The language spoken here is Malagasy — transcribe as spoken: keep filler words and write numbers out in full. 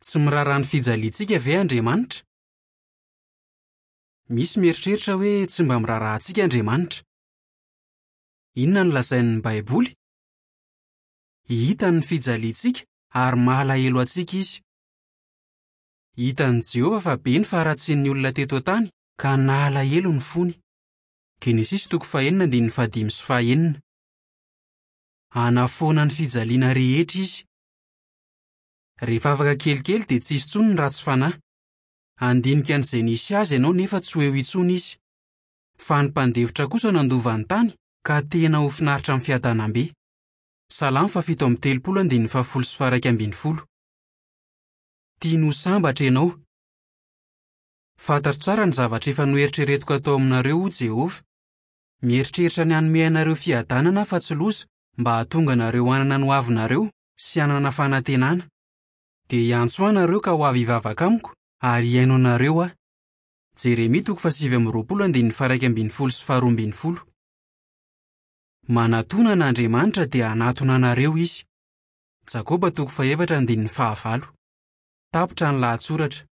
Tsy miraharaha ny fijaliantsika ve Andriamanitra? Misy mieritreritra hoe tsy mba miraharaha antsika Andriamanitra. Inona no lazain'ny Baiboly? Hitany ny fijaliantsika ary malahelo antsika izy. Hitan'i Jehovah fa be ny faharatsian'ny olona teto an-tany ka nalahelo ny fony. Genesisy toko fahenina andininy fahadimy sy fahenina. Hanafoana ny fijaliana rehetra izy. Rehefa afaka kelikely dia tsy hisy intsony ny ratsy fanahy. Handinika an'izay nisy azy ianao nefa tsy ho eo intsony izy. Fa ny mpandefitra kosa nandova ny tany ka tena ho finaritra amin'ny fiadanam-be. Salamo fahafito amby telopolo andininy fahafolo sy faha-iraika ambin'ny folo. Tiany ho sambatra ianao. Fantatro tsara ny zavatra efa noeritreretiko atao aminareo, hoy Jehovah. Mieritreritra ny hanome anareo fiadanana aho fa tsy loza, mba hahatonga anareo hanana ny hoavinareo sy hanana fanantenana. Dia hiantso ahy nareo ka ho avy hivavaka amiko ary hihaino anareo aho. Jeremia toko fahasivy amby roapolo andininy faha-iraika ambin'ny folo sy faharoa ambin'ny folo. Manatòna an'Andriamanitra dia hanatona anareo izy. Jakoba toko fahefatra andininy fahavalo. Tapitra ny lahatsoratra.